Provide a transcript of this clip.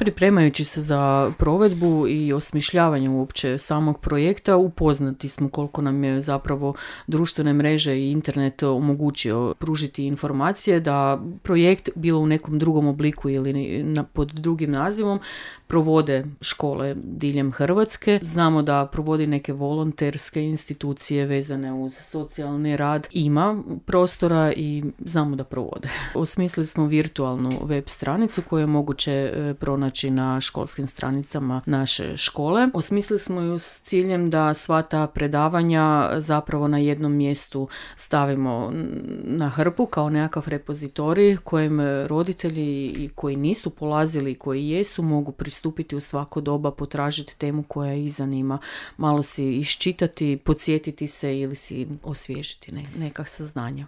Pripremajući se za provedbu i osmišljavanje uopće samog projekta, upoznati smo koliko nam je zapravo društvene mreže i internet omogućio pružiti informacije da projekt, bilo u nekom drugom obliku ili pod drugim nazivom, provode škole diljem Hrvatske. Znamo da provodi neke volonterske institucije vezane uz socijalni rad. Ima prostora i znamo da provode. Osmislili smo virtualnu web stranicu koju je moguće pronaći na školskim stranicama naše škole. Osmislili smo ju s ciljem da sva ta predavanja zapravo na jednom mjestu stavimo na hrpu kao nekakav repozitorij kojem roditelji i koji nisu polazili i koji jesu mogu pristupiti u svako doba, potražiti temu koja ih zanima, malo si iščitati, podsjetiti se ili si osvježiti neka saznanja.